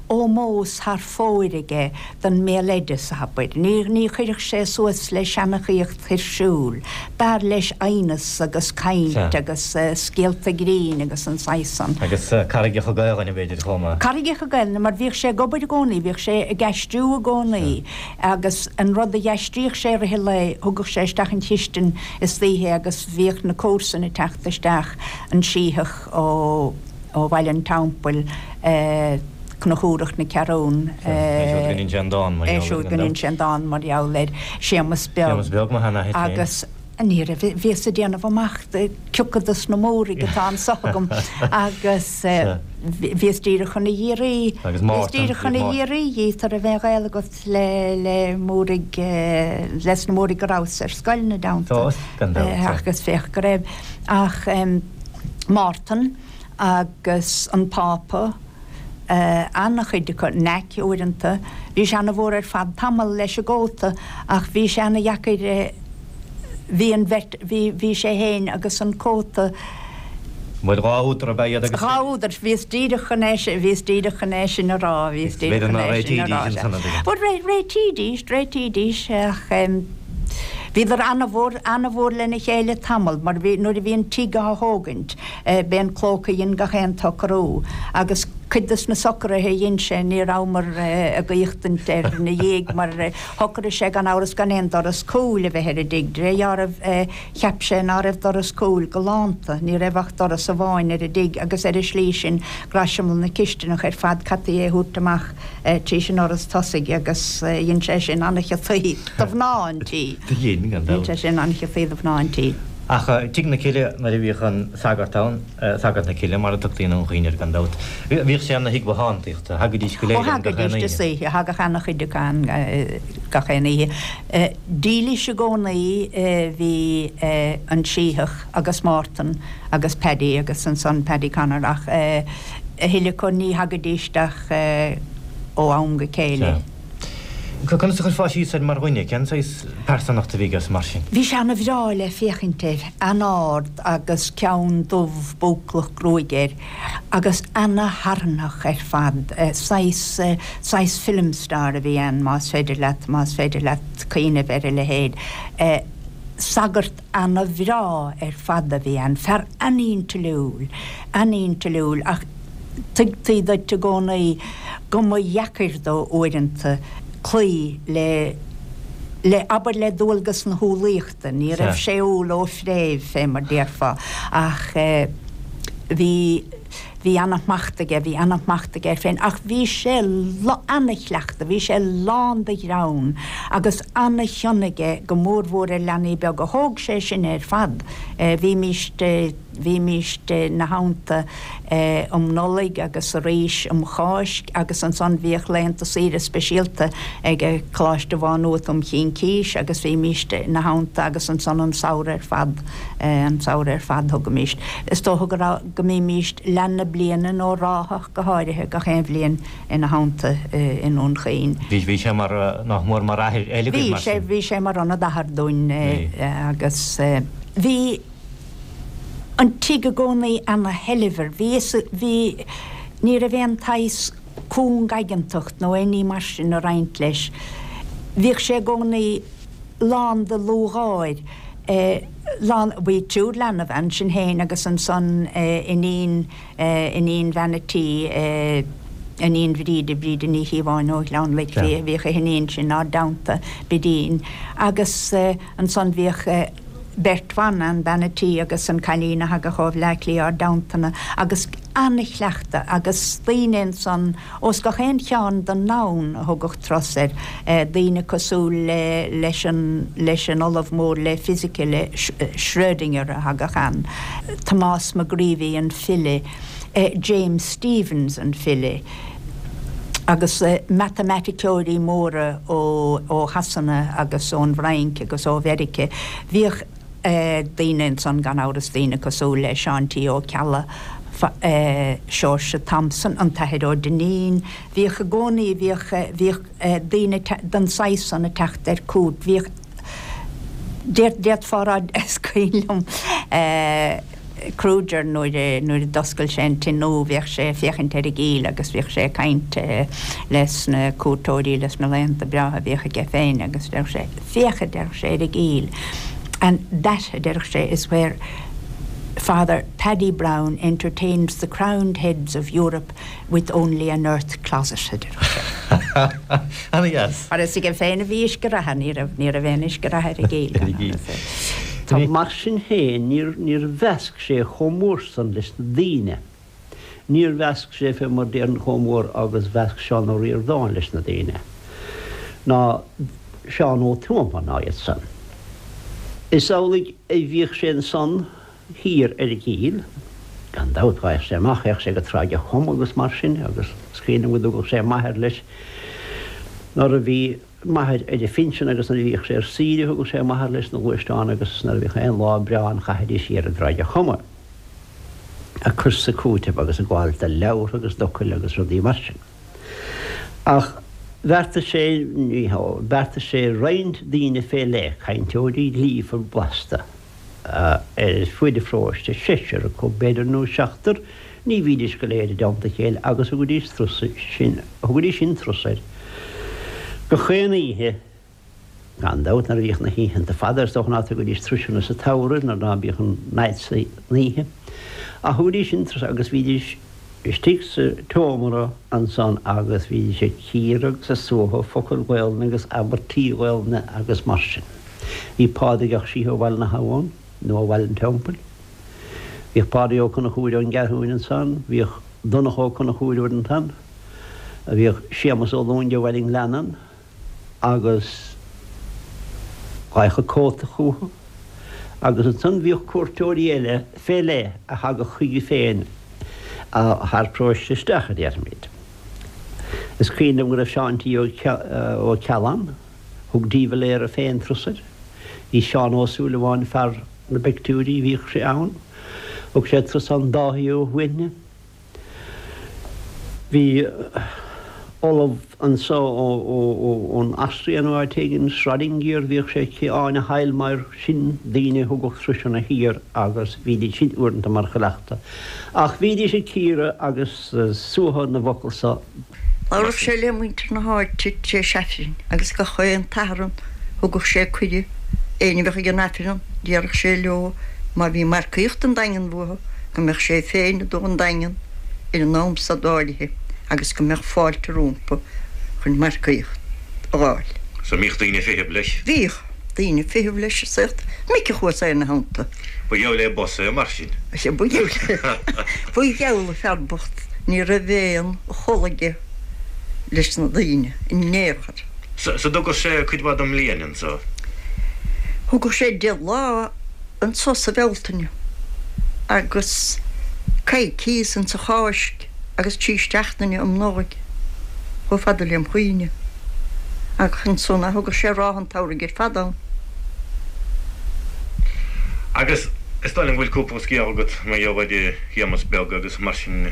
S3: ómós thar fóir aige don mbéaloideas, abair. Ní, ní chuirfeadh sé suas le seanchaíocht tuirsiúil. B'fhearr leis aighneas agus caint agus scéalta grinn agus an saghas san.
S2: Agus carraigeacha Gaelainne, b'fhéidir, chomh maith.
S3: Carraigeacha Gaelainne, mar bhíodh sé ag obair i gcónaí, bhíodh sé ag aistriú i gcónaí agus an rud a d'aistríodh sé i rith an lae, thugadh sé isteach an chistin istoíche agus bhíodh na comharsana ag teacht isteach, an Sítheach ó. ó Bhaile an Teampaill, Conchúrach na Ceathrún,
S2: É siúd go n-inse an dán mar
S3: gheall air. É siúd go n-inse an dán mar gheall air, Séamus Beag.
S2: Séamus Beag, mo sheanathair féin.
S3: Agus ní raibh, bhíos ag déanamh amach cioca dos na Múraigh atá anso agam agus bhíos díreach chun a dh'iarraidh, bhíos díreach chun a dh'iarraidh dhíot an raibh aon ghaol agat le, le Múraigh, les na Múraigh go rabhas ar scoil ina dteannta.
S2: Tá, gan dabht.
S3: Agus féach go raibh. Ach. Mártan agus an Pápa, an-chuid acu, Naic uaireanta. Bhí sé ana-mhór ar fad tamall leis an gcóta ach bhí sé ana-dheacair, bhí an bheirt, bhí, bhí sé fhéin agus an cóta.
S2: Bhuel, 2 údar ab ea iad agus.
S3: 2 údar, bhíos díreach chun é sin, bhíos díreach chun é sin a rá, bhíos díreach chun é sin a rá. Bhuel, réitídís, réitídís ach. Bhíodar ana-mhór, ana-mhór lena chéile tamall, mar bhí, nuair a bhí an tigh á thógaint, b'é an clóca a dhein gach aon tsocrú, agus cuid dos na socruithe a dhein sé, ní rabhamar ag éachtaint air ina dhiaidh, mar shocraigh sé gan amhras gan aon doras cúil a bheith ar an dtigh, de réir dealraimh cheap sé ná raibh doras cúil galánta, ní raibh ach doras amháin ar an dtigh, agus ar an slí sin, graiseamal na cisteanach ar fad, caití é a thabhairt amach. tríd an ndoras tosaigh agus dhein sé sin an-chiotaí do mhná an tí.
S2: Dhein, gan
S3: dabht. Dhein sé sin an-chiotaí do mhná an tí.
S2: Ach Tigh na Cille, nuair a bhíodh an sagart ann, Sagart na Cille mar a tugtaí i nDún Chaoin air gan dabht, bhíodh sé ina thigh bothántaíochta, thagaidís go
S3: léir ann gach aon oíche. Ó, thagaidís istoíche, thagadh ana-chuid acu ann gach aon oíche. Dílis i gcónaí bhí an Sítheach agus Mártan agus Paddy agus ansan Paddy Connor ach, A thuilleadh acu ní thagaidís ach ó am go céile.
S2: Sea. Conas a chuirfeá síos air mar dhuine? Cén saghas pearsantachta a bhí aige mar sin?
S3: Bhí sé ana-bhreá le féachaint air, an-ard agus ceann dubh búclach gruaige air agus ana-tharraingtheach ar fad. Saghas, saghas film star a bhí ann, más féidir leat, más féidir leat cuimhneamh ar a leithéid. Sagart ana-bhreá ar fad a bhí ann, fear an-intliúil, an-intliúil, ach tuigtí duit i gcónaí go mba dheacair dó uaireanta cloí le, le, abair le dualgas na humhlaíochta, ní raibh sé umhal ó phréimh, fé mar déarfá, ach bhí. Bhí ana-shmacht aige, bhí ana-shmacht aige air féin, ach bhí sé ana-chleachta, bhí sé lán de ghreann agus ana-chion aige go mórmhór ar leanaí beaga. Thóg sé sinne ar fad. Bhímíst, bhímíst ina theannta um Nollaig agus arís um Cháisc agus ansan bhíodh laethanta saoire speisialta ag Coláiste Mhá Nuat um Chincís agus bhímíst ina theannta agus ansan an samhradh ar fad, an samhradh ar fad thugaimíst. Is dócha go raibh. go mbímíst leath na bliana nó ráitheach go háirithe gach aon bhliain ina theannta i nDún Chaoin.
S2: Bhí, bhí sé mar, nach mór mar athair eile agaibh
S3: mar sin. Bhí sé, bhí sé mar ionad athar dúinn agus bhí an tigh i gcónaí ana-shoilbhir, bhí, bhí, ní raibh aon tsaghas cúng-aigeantacht nó aon ní mar sin a roinnt leis. Bhíodh sé i gcónaí lán de lúthgháir. lán, bhí triúr leanbh ann, sinn féin agus ansan iníon, iníon bhean a' tí, iníon Bhríde, Bríde Ní Chíobháin ó Ghleann Loic, bhí, bhíodh a hiníon sin 'nár dteannta, Bidín, agus ansan bhíodh beirt bhan ann, bean a' tí agus an cailín a thagadh ó Bhleá Cliath 'ár dteannta-na agus ana-chleachtadh agus daoine ansan Ós gach aon chearn den ndomhan a thugadh turas air, daoine cosúil le leis an leis an ollamh mór le fisice le Schrödinger a thagadh ann, Tomás McGreevy an file, James Stephens an file, agus matamaiticeoirí móra ó ó Shasana agus ón bhFrainc agus ó Mheirice. Bhíodh. daoine ansan gan amhras, daoine cosúil le Seán T. Ó Ceallaigh, Seoirse Thompson, an tAthair Ó Duinnín, bhíodh i gcónaí, bhíodh, bhíodh daoine den saghas san ag teacht ar cuairt, bhíodh, d'fhéadfá a rá, is cuimhin liom. Kruger nuair a nuair a d'oscail sé an tigh nua bhíodh sé ag féachaint ar an gCill agus bhíodh sé ag caint les na cuairteoirí les na laethanta breátha a bhíodh aige féin agus deireadh sé féach a deireadh sé ar an gCill and that a deireadh sé is where Father Paddy Browne entertains the crowned heads of Europe with only an earth closet a deireadh sé.
S2: Ana-dheas.
S3: Mar is aige féin a bhí uisce reatha, ní raibh, ní raibh aon uisce reatha ar an gCill gan amhras.
S4: Tá Mar sin féin, níor, níor mheasc sé chomh mór san leis na daoine. Níor mheasc sé fé mar déarfainn chomh mór agus mheasc Seán Ó Ríordáin leis na daoine, ná Seán Ó Tuama ná iad san. Is amhlaidh a bhíodh sé ansan thiar ar an gCill, gan dabht, ghabhadh sé amach, théadh sé go Tráigh a' Choma agus mar sin, agus is cuimhin liom go dtugadh sé m'athair leis nuair a bhí m'athair ar a phinsean agus nuair a bhíodh sé ar saoire thugadh sé m'athair leis 'na ghluaisteán agus nuair a bhíodh aon lá breá ann chaithidís siar i dTráigh a' Choma ag cur 's ag cúiteamh agus ag gabháil de leabhartha agus d'fhocail agus rudaí mar sin. Ach bheartaigh sé, ní hea, bheartaigh sé roinnt daoine fé leith, cainteoirí líofa blasta, ar fuaid an pharóiste, seisear acu, b'fhéidir, nó seachtar, ní bhídís go léir i dteannta a chéile agus thugaidís turas sin, thugaidís sin turas air gach aon oíche, gan dabht, nuair a bhíodh na hoícheanta fada, is dócha ná tugaidís turais sa tsamhradh nuair ná bíodh an fhad san oíche, ach thugaidís sin turas agus bhídís istigh sa tseomra ansan agus bhídís ag cíoradh agus ag suaitheadh focail Ghaolainne agus abairtí Gaolainne agus mar sin. Bhí Pádraig 'Ac Síthigh ó Bhaile na hAbhann, nó ó Bhaile an Teampaill. Bhíodh Pádraig Ó Conchúir ón gCeathrúin ansan, bhíodh Donncha Ó Conchúir uaireanta ann, bhíodh Séamus Ó Lúing ó Bhaile an Ghleanna ann, agus ghabhadh an cóta chucu. Agus ansan bhíodh cuairteoirí eile fé leith a thagadh chuige féin thar paróiste isteach, a déarfaimid. Is cuimhin liom go raibh Seán T. Ó Ceallaigh ann. Thug de Valera féin turas air. Bhí Seán Ó Súilleabháin, fear na bpictiúirí, bhíodh sé ann. Thug sé turas ann Dáithí Ó hUaithne. Bhí ollamh anso ón Astria nó áit éigin, Schrödinger, bhíodh sé aici, Áine Heilmeier, sin daoine a thugadh turasanna thiar agus bhídís sin uaireanta mar chuileachta. Ach bhídís ag cíoradh agus suaitheadh na bhfocal so.
S5: Labhradh sé le muintir na háite tar éis Aifrinn agus gach aon tSatharn thugadh sé cuireadh éinne a bheadh ag an Aifreann déarfadh sé leo má bhí marcaíocht an Daingean uathu go mbeadh sé féin ag dul an Daingean ar an am san áirithe agus go mbeadh fáilte rómpa chun marcaíocht a dh'fháil.
S6: So mbíodh daoine ag feitheamh leis?
S5: Bhíodh daoine ag feitheamh leis is saocht mic a chuas ina theannta.
S6: Ba gheall é boss é mar sin.
S5: Sea, ba gheall ba gheall fear bocht ní raibh aon chol aige leis na daoine in aon chor.
S6: So dtugadh sé cuid mhaith den mbliain anso?
S5: Thugadh sé deich lá anso sa Bhealtaine agus coicíos insa Cháisc agus trí seachtaine um Nollaig chomh fada lem chuimhne. Ach ansan thugadh sé ráithe an tsamhraidh ar fad ann.
S6: Agus is dóigh liom go bhfuil cúpla scéal agat mar gheall ar Shéamus Beag agus mar sin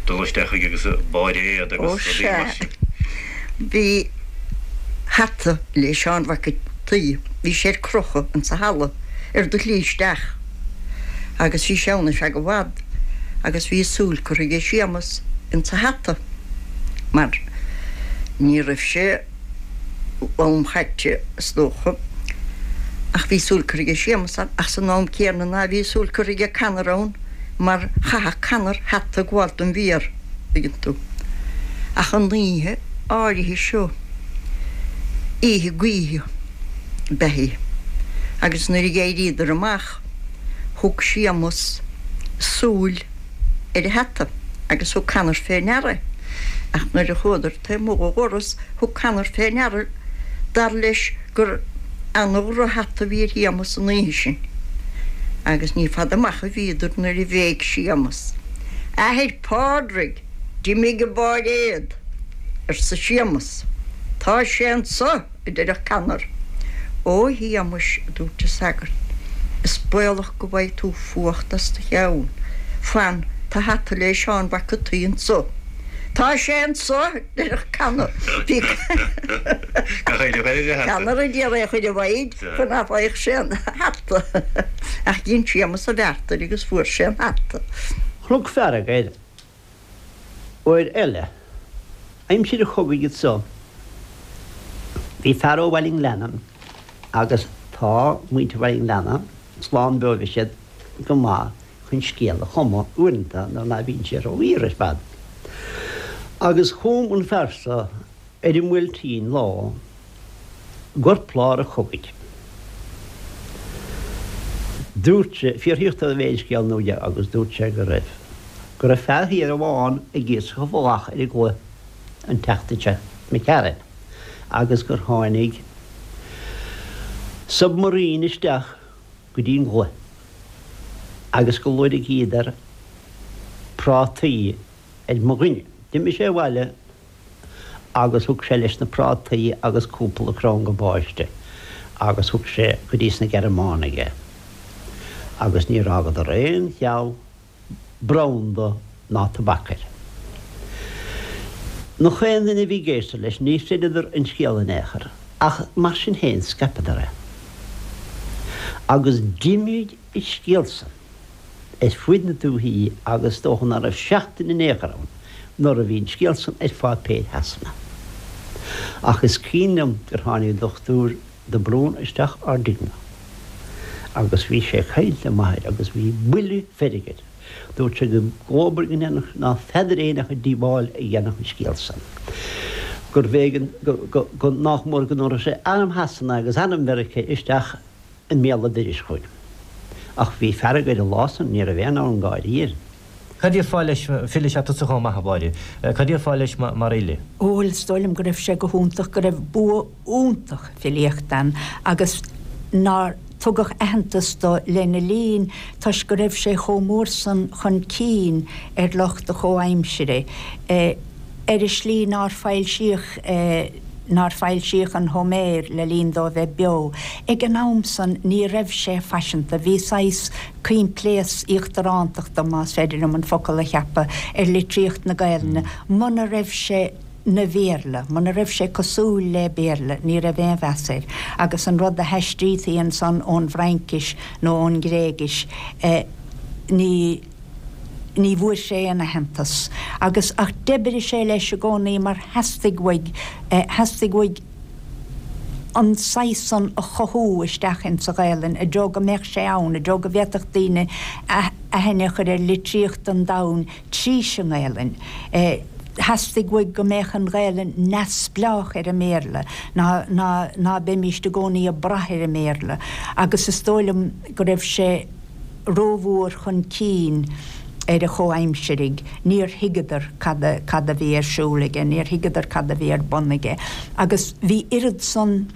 S6: dul isteach chuige agus bairéad
S5: agus rudaí mar sin. Ó sea. Bhí hata le Seán Mhac an tSaoi, bhí sé ar crochadh insa halla ar do shlí isteach agus bhí sé ann ar feadh i bhfad agus bhí a súil curtha aige Séamus insa hata mar ní raibh sé lom chaite is dócha, ach bhí súil curtha aige Séamus ann, ach san am céanna ná bhí súil curtha aige Conor ann mar chaitheadh Conor hata ag gabháil don bhfiar, tuigeann tú. Ach an oíche áirithe seo, oíche gaoithe ab ea í, agus nuair a d'éiríodar amach thug Séamus súil ar an hata agus thug Conor fé ndeara é. Ach nuair a chuadar taobh amuigh dho dhoras thug Conor fé ndeara, dar leis, gur ana-dhroch-hata a bhí ar Shéamus an oíche sin. Agus ní fada amach a bhíodar nuair a bhéic Séamus, A athair Phádraig, d'imigh an bairéad! arsa Séamus. Tá sé anso! a deireadh Conor. Ó a Shéamuis, a dúirt an sagart, is baolach go bhfaighidh tú fuacht as do cheann. Fan, tá hata le Seán Mhac an tSaoi anso. Tá sé anso, a deireadh Conor. Bhí Conor ag iarraidh é a chur i bhfoighid chun ná faigheadh sé an hata. Ach dhein Séamus a bheart air agus fuair sé an hata.
S4: Chonac fearg air uair eile. Aimsir an chogaidh anso bhí fear ó Bhaile an Ghleanna agus tá muintir Bhaile an Ghleanna slán beo bhí siad go maith chun scéal a chumadh uaireanta nuair ná bíonn sé ró-fhíor ar fad. Agus chum an fear so ar an mBuailtín lá i gcorplár an chogaidh. Dúirt sé, fiafraíodh de an raibh aon scéal nua aige agus dúirt sé go raibh, go raibh fear thiar amháin ag iascach an bhallach ar an gclaí an tseachtain seo imigh tharainn agus gur tháinig submarine isteach go dtí an gclaí agus go loirgíodar prátaí ar mo dhuine. D'imigh sé abhaile agus thug sé leis na prátaí agus cúpla crann gabáiste agus thug sé go dtí sna Gearmánaigh é agus níor fhágadar aon cheal branda ná tobac air. Nach aon duine a bhí ag éisteacht leis, ní chreideadar an scéal in aon chor, ach mar sin féin scaipeadar é. Agus d'imigh an scéal san. ar fuaid na dúthaí agus is dócha ná raibh seachtain in aon chor ann nuair a bhí an scéal san ar pháipéir Shasana. Ach is cuimhin liom gur tháinig Dochtúir de Brún isteach ár dtigh-ne agus bhí sé ag caint le m'athair agus bhí buille feirge air. Dúirt sé go dhóbair go ndéanfadh ná feadar éinne ach an díobháil a dhéanfadh an scéal san. Gurbh éigean go, go, go, nách mór go dtabharfadh sé arm Shasana agus arm Mheiriceá isteach i mbéal an dorais chugainn. Ach bhí fearg air an lá san, ní raibh aon fhonn gáirí air.
S2: Cad déarfá leis, file is ea tusa chomh maith, a Mháire. Cad déarfá leis mar fhile?
S3: Bhuel, is dóigh liom go raibh sé go hiontach, go raibh bua iontach filíochta ann agus nár tugadh aitheantas dó lena linn toisc go raibh sé chomh mór san chun cinn ar lucht a chomhaimsire. Ar an slí nár foilsíodh nár foilsíodh an Homer le linn dó a bheith beo. Ag an am san ní raibh sé faiseanta, bhí saghas coimpléasc íochtarántachta, más féidir liom an focal a cheapadh, ar litríocht na Gaelainne. Muna raibh sé 'na Bhéarla, muna raibh sé cosúil le Béarla, ní raibh aon mheas air. Agus an rud a haistrítí ansan ón bhFraincis nó ón nGréigis, ní. ní bhfuair sé aon aitheantas agus ach d'oibrigh sé leis i gcónaí mar theastaigh uaidh theastaigh uaidh an saghas san a chothú isteach insa Ghaelainn i dtreo go mbeadh sé ann, i dtreo go bhféadfadh daoine aithne a chur ar litríocht an domhain trís an nGaelainn. Theastaigh uaidh go mbeadh an Ghaelainn neamhspleách ar an mBéarla, ná ná ná beimíst i gcónaí ag brath ar an mBéarla agus is dóigh liom go raibh sé rómhór chun cinn ar a chomhaimsirigh, níor thuigeadar cad a, cad a bhí ar siúl aige, níor thuigeadar cad a bhí ar bun aige. Agus bhí oiread san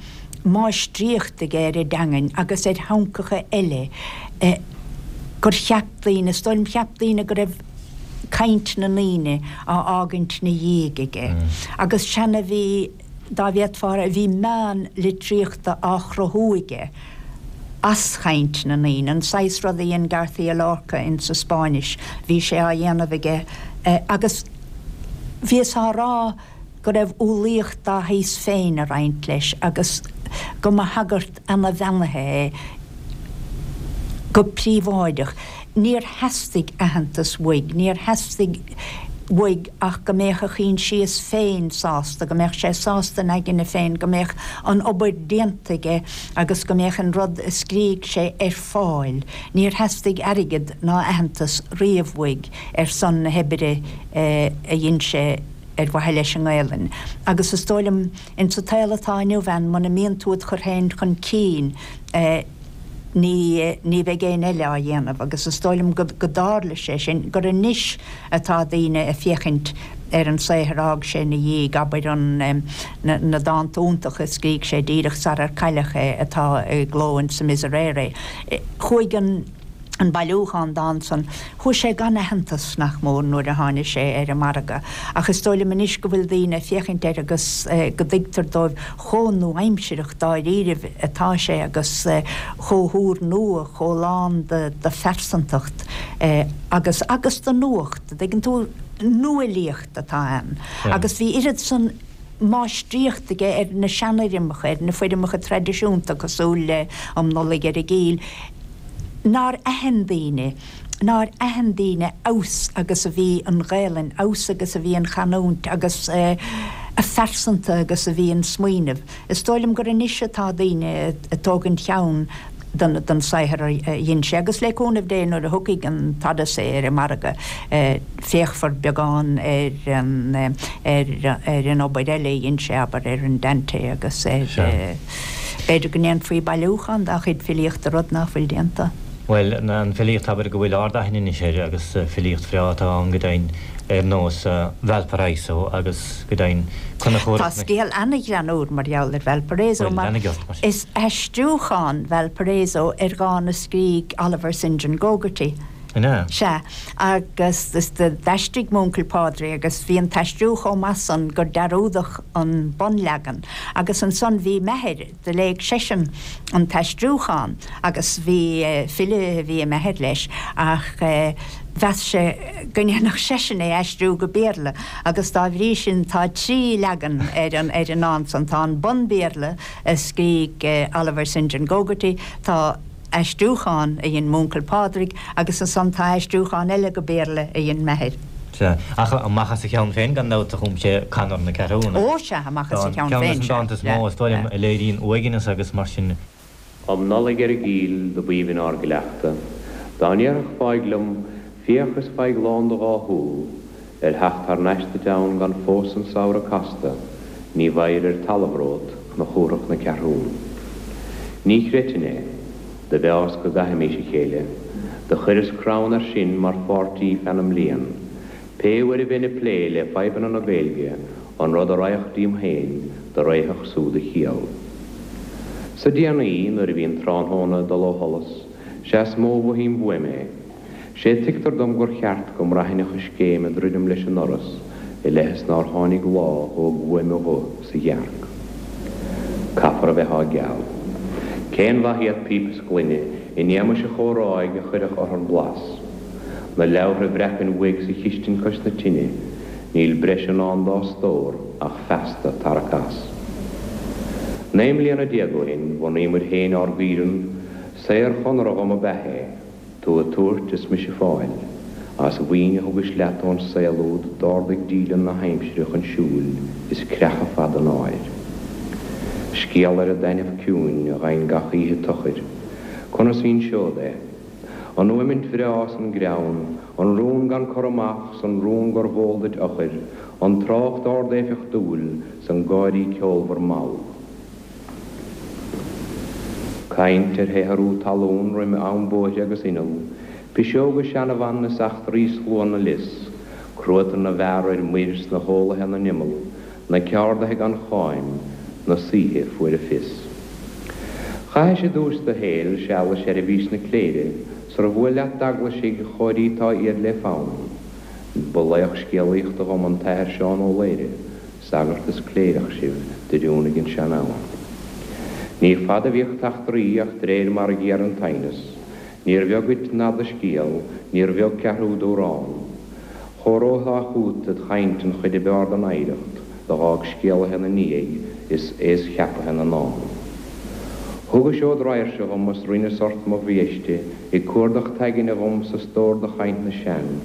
S3: máistríocht aige ar an dteangain agus ar theangacha eile gur cheap daoine, is dóigh liom, cheap daoine go raibh caint na ndaoine á fhágaint 'na dhiaidh aige. Agus seana bhí. dá bhféadfá a rá, bhí meán litríochta á chruthú aige as chaint na ndaoine, an saghas rud a dhein García Lorca insa Spáinnis, bhí sé á dhéanamh aige agus bhíothas á rá go raibh umhlaíocht dá shaghas féin ag roinnt leis agus go mba shagart ana-bheannaithe é go príobháideach. Níor theastaigh aitheantas uaidh, níor theastaigh uaidh ach go mbeadh a choinsias féin sásta, go mbeadh sé sásta ina aigne féin, go mbeadh an obair déanta aige agus go mbeadh an rud a scrígh sé ar fáil. Níor theastaigh airgead ná aitheantas riamh uaidh ar son na hoibre a dhein sé ar mhaithe leis an nGaelainn. Agus is dóigh liom, insa tsaol atá inniu ann, muna mbíonn tú id chur féin chun cinn, ní, ní bheidh éinne eile á dhéanamh agus is dóigh liom go, go dtarla sé sin, gur anois atá daoine ag féachaint ar an saothar a fhág sé ina dhiaidh, abair an, na, na dánta iontacha a scrígh sé díreach sarar cailleadh é atá i gcló in sa Miserere. Chuaigh an. an bailiúchán dán san, chuaigh sé gan aitheantas, nach mór, nuair a tháinig sé ar an margadh. Ach is dóigh liom anois go bhfuil daoine ag féachaint air agus go dtuigtear dóibh chomh nua-aimsireach dáiríribh atá sé agus chomh húrnua, chomh lán de phearsantacht agus, agus de nuacht, an dtuigeann tú, nuálaíocht atá ann. Agus bhí oiread san máistríocht aige ar na seanfhoirmeacha, ar na foirmeacha traidisiúnta cosúil le Um Nollaig ar an gCill. Nár aithin daoine, nár aithin daoine abhus agus a bhí an Ghaelainn, abhus agus a bhí an chanúint agus a phearsanta agus a bhí an smaoineamh. Is dóigh liom gur anois atá daoine ag tógaint cheann den saothar a dhein sé agus le cúnamh Dé nuair a thiocfaidh an tOdyssey ar an margadh féachfar beagán ar an ar an obair eile a dhein sé, abair, ar an Dante agus ar b'fhéidir go ndéanfaí bailiúchán dá chuid filíochta, rud nach bhfuil déanta.
S6: Bhuel, an filíocht, abair, go bhfuil ard-aithne anois air agus filíocht bhreá atá ann go deimhin ar nós Valparaiso agus go deimhin Conchúr.
S3: Tá scéal ana-ghreannúr mar gheall ar Valparaiso mar is aistriúchán Valparaiso ar dhán a scrígh Oliver St. John Gogarty.
S6: An ea?
S3: Sea, agus d'aistrigh m'uncail Pádraig agus bhí an t-aistriú chomh maith san gur dearúdadh an bunleagan. Agus ansan bhí m'athair, do léigh seisean an t-aistriúchán agus bhí, file a bhí i m'athair leis, ach mheas sé go ndéanfadh seisean é a aistriú go Béarla agus dá bhrí sin tá trí leagan ar an, ar an ndán san. Tá an bun-Bhéarla a scrígh Oliver St. John Gogarty, tá. aistriúchán a dhein m'uncail Pádraig agus ansan tá aistriúchán eile go Béarla a dhein m'athair.
S6: Sea, ach amach as a cheann féin gan dabht a chum sé Conor na Ceathrún.
S3: Ó sea, amach as a cheann féin,
S6: sea. Ceann des na dánta is mó, is dóigh liom, a léiríonn uaigneas agus mar sin.
S7: Um Nollaig ar an gCill do b'aoibhinn ár gcleachtadh, Dá ndéarfadh fáidh liom, Féach is faigh lán do dhá shúl, Ar theacht thar n-ais duit ann gan fós an samhradh casta, ní bhfaighir ar talamh romhat cnoc Chumhrach na Ceathrún. Ní chreidfinn é. Do mheáas go gcaithfimís a chéile. Do chuireas crann air sin mar pháirtí feadh na mblian. Pé uair a bheinn ag plé le fadhbanna na Gaeilge, an rud a raghadh díom féin, do réifeadh súd a chiall. Sa déanaí, nuair a bhíonn tráthnóna ag dul ó sholas, 'sea is mó a mhothaím uaim é. 'Sé tuigtear dom gur cheart go mbraithfinn a choiscéim ag druidim leis an ndoras i leith is nár tháinig lá thóg uaim a ghuth sa ghearc. Caithfear a bheith á gceal. Cén mhaith iad píp is gloine in éamais an chomhráidh a chuirfeadh orthar blas? Na leabhartha a bhreacfainn uaidh sa chistin cois na tine, níl breis i ndán dá stór ach feasta tarrac as. 19 mbliana ó shin bhunaíomair féin ár gcaoireann, saor-chonradh dhom ab ea é. Tú ag tabhairt is mise ag fáil. As mhaoin a thugais leat ón saol úd d'ardaigh díleann na haimsire chun siúil is creacha fada an áir. Scéal ar an dtaitneamh ciúin a gheibhinn gach oíche tochair. Conas inseod é? An fhuaimint bhreá 's an greann, an rún gan cur amach 's an rún gurbh eol duit eochair, an trácht ard-éifeachtúil 's an gáirí ceolmhar mall. Caint ar shaothrú talún roim am bóithre agus inneall, piseoga seanabhan is eachtraí slua na lios, cruatan na bhfear ar muir 's na hólaithe 'na n-imeall, na ceardaithe gan cháim, na saoithe fuair a fios. Chaithis i dtús do shaoil seal i seirbhís na cléire sar bhuail leat d'eaglaisigh chóirítá iad le fonn. Ba laoch scéalaíochta dhom an tAthair Seán Ó Laoire, Sagart is cléireach sibh d'oiriúnaigh an sean-am. Ní fada a bhíodh t'eachtraí ach d'réir mar a ghéar an t-aighneas, níor bheag dhuit ná do scéal, níor bheag ceathrú d'amhrán. Chomh róshlách chút id chaint an chuid ab fhearr den oidhreacht do dh'fhág scéalaithe 'na ndiaidh is aos-cheapaithe na ndán. Thugais ód raidhirse dhom is rinneas ort mo bhiaiste ag cuardach t'aigne dhom sa stór de chaint na sean.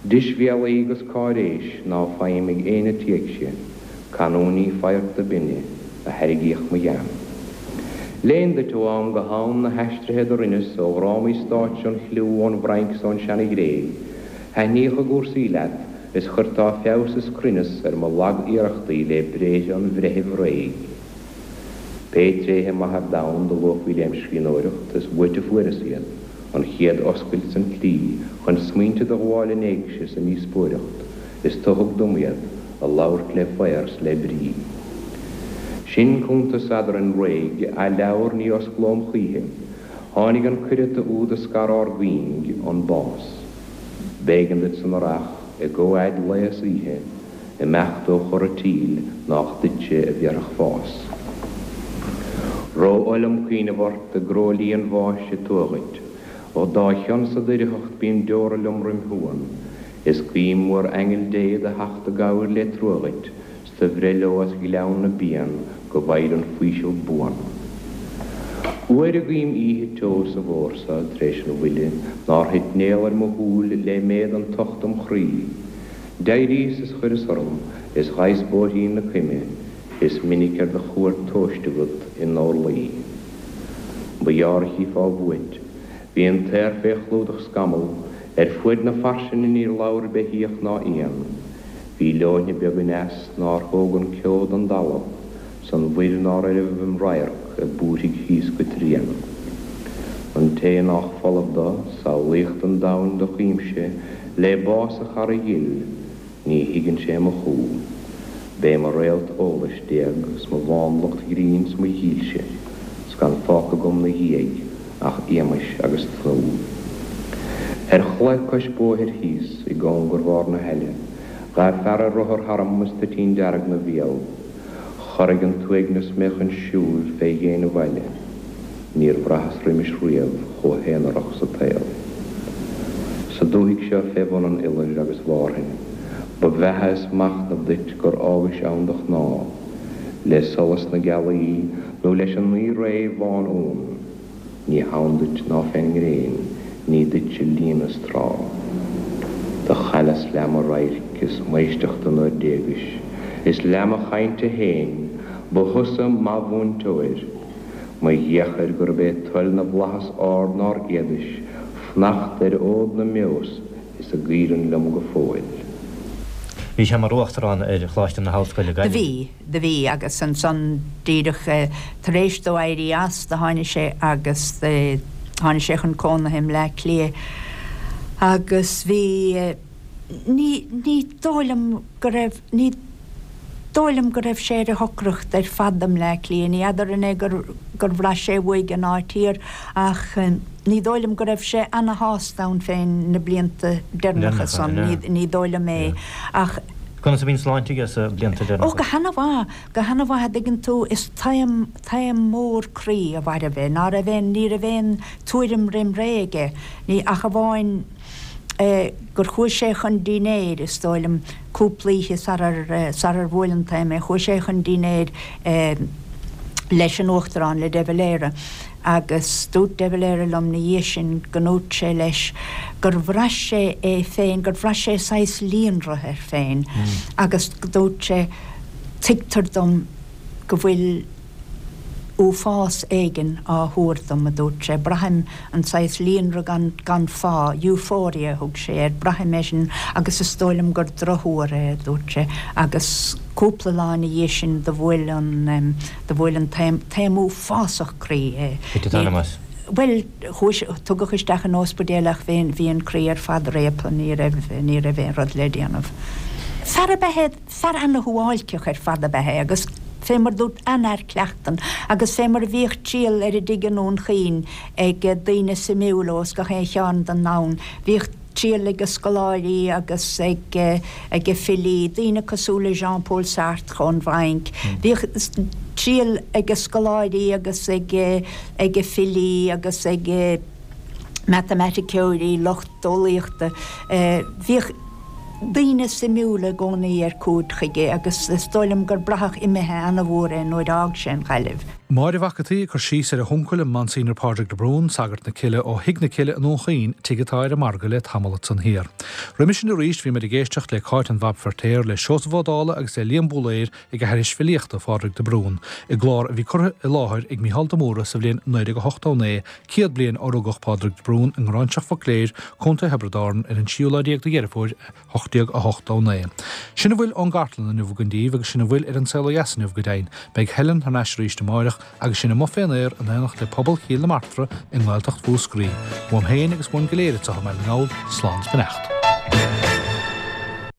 S7: Deisbhéalaí 'gus cáiréis ná faighim ag éinne t'éigse, canúintí faghairt binne a thairrigíodh mo ghean. Léinn duit ó am go ham na haistrithe do rinneas ó dhrámaí stáitse an chliú ón bhFrainc 's ón seana-Ghréig, thaitníodh a gcúrsaí leat is chuirteá feabhas is cruinneas ar mo lag-iarrachtaí lé bréithre an bhreithimh réidh. Pé tréithe maithe ar domhan do luafaí lem scríbhneoireacht, is uait a fuaireas iad, an chéad oscailt 's an tslí chun smaointe do ghabháil in éigse sa ndíospóireacht, is tu thug dom iad, a labhairt le faobhar 's le brí. Sin cuntas eadrainn réidh, athleabhar ní osclóm choíche. Tháinig an cuireata úd a scar ár gcuing, an bás. B'éigean duit san earrach, i gcomhfhad lae is oíche, Imeacht ó chora tíl nách duitse a bhéarfadh fás. Ró-oth liom cuimhneamh ort i gcróilí an bháis a tuath dhuit. Ó dá chionn sa doircheacht bíonn deora liom roim shuan. Is guím uair aingeal Dé do theacht i gcabhair lé trua dhuit 's do bhreith leo as ghleann na bpian go bhfaighir an faoiseamh buan. Uair a guím oíche teo sa bhfórsa tar éis an bhuille nár thit néal ar mo shúil lé méad an tocht im chroí. D'éiríos is chuireas orm is ghabhas bóithrín na coime is minic ar do chuairt tomhaiste agat i ndorluí. Ba ghearr a chífeá uait. Bhí an t-aer fé chlúdach scamall, ar fuaid na fairsinge níor labhair beithíoch ná éan. Bhí leoithne beag aneas nár thóg an ceo don dtalamh. 's an mhuir nár oirbh im radharc ag búirthigh thíos go tréan. An té nách folamh do, samhlaíocht an domhain do chuimse lé bás a chara dhil, ní thuigeann sé mo chú. B'é mo réalt eolais d'éag 's mo mhánlucht ghrinn 's mo dhílse, 's gan fágtha agam 'na dhiaidh ach éamais agus tnúth. Ar chlaí cois bóthair thíos i gcóngar bharr na haille, ghabh fear ar rothar tharam is toitín dearg 'na bhéal. Chorraigh an t-uaigneas mé chun siúil fé dhéin an bhaile. Níor bhraitheas roimis riamh chomh haonarach sa tsaol. Sa dúthaigh seo fé bhun an iolair agus Mhárthain, ba bheatha is machnamh duit gur fhágais ann do chnámh, le solas na gealaí nó leis an ngaoth réidh bhán uan. Ní hann duit ná fén ngréin, ní duitse líonadh is trá. Do chailleas leath mo radhairc is m'éisteachta nuair d'éagais, is leath mo chainte fhéin, ba thusa mo mhúinteoir. Mo dheochair gurb é toil na bhflaitheas ard nár fhéadais fanacht ar fhód na mbeos is a gcaoireann liom go fóill.
S6: Bhí sé mar Uachtarán ar Choláiste na hOllscoile,
S3: Do
S6: Gaillimh.
S3: bhí, do bhí, agus ansan díreach tar éis dó éirí as do tháinig sé agus tháinig sé chun cónaithe i mBleá Cliath agus bhí, ní, ní dóigh liom go raibh, ní dóigh liom go raibh sé ar a shocracht ar fad i mBleá Cliath, ní fheadar an é gur, gur bhraith sé uaidh an áit thiar ach ní dóigh liom go raibh sé ana-shásta ann féin na blianta deireanacha san, ní dóigh liom é ach.
S6: Conas a bhí an sláinte aige sna blianta deireanacha?
S3: Ó, go hana-mhaith, go hana-mhaith, a dtuigeann tú, is taom, taom mór croí a mhairbh é, ná raibh aon, ní raibh aon tuairim roim ré aige, ní, ach amháin gur chuaigh sé chun dinnéir, is dóigh liom, cúpla oíche sarar, sarar bhuail an taom é, chuaigh sé chun dinnéir leis an Uachtarán, le de Valera. Agus dúirt de Valera liom 'na dhiaidh sin go ndúirt sé leis gur bhraith sé é féin, gur bhraith sé saghas líonrith air féin agus dúirt sé, tuigtear dom go bhfuil uafás éigin á thuar dom, a dúirt sé, braithim an saghas líonrith gan, gan fáth, euphoria a thug sé air, braithim é sin agus is dóigh liom gur drochthuar é, a dúirt sé, agus cúpla lá ina dhiaidh sin do bhuail an, Do bhuail an taom, taom uafásach croí é.
S6: Thit an t-anam as.
S3: Bhuel, chuaigh sé, tugadh isteach in óspidéal ach bhí, bhí an croí ar fad réabtha, ní raibh, ní raibh aon rud le déanamh. Fear ab ea é, fear ana-shuáilceach ar fad ab ea é agus fé mar dúirt, an-fhear cleachtan agus fé mar a bhíodh triall ar a dtigh i nDún Chaoin ag daoine suimiúla ós gach aon chearn den domhan, bhíodh triall ag scoláirí agus ag ag filí, daoine cosúil le Jean Paul Sartre ón bhFrainc. Bhíodh triall ag scoláirí agus ag ag filí agus ag matamaiticeoirí, lucht eolaíochta. Bhíodh daoine suimiúla i gcónaí ar cuaird chuige agus is dóigh liom gur braitheadh imithe ana-mhór é nuair a fhág sé an Ghaillimh.
S1: Máire Mhac an tSaoi ag cur síos ar a huncail, an Monsignor Pádraig de Brún, sagart na Cille ó Thigh na Cille i nDún Chaoin, tigh atá ar an margadh le tamall ansan thiar. Roimis sin arís bhí muid ag éisteacht le Cáit an Bhab Feirtéar, le Seosamh Ó Dálaigh agus le Liam Búlaeir ag aithris filíochta Phádraig de Brún, i gclár a bhí curtha i láthair ag Mícheál de Mórdha sa bhliain 1989, 100 bliain ó rugadh Pádraig de Brún i nGráinseach Mhucléir, Co. Thiobraid Árann, ar an tríú lá déag de Dheireadh Fómhair, 1889. Sin a bhfuil ón gcartlann inniu againn daoibh agus sin a bhfuil ar An Saol Ó Dheas inniu go deimhin. Beidh Helen thar n-ais arís amáireach agus sinn amuigh fén aer in éineacht le pobal Chill na Martra i nGaeltacht Mhúscraí. Uaim féin agus uainn go léir anseo i mBaile na nGall, slán is beannacht.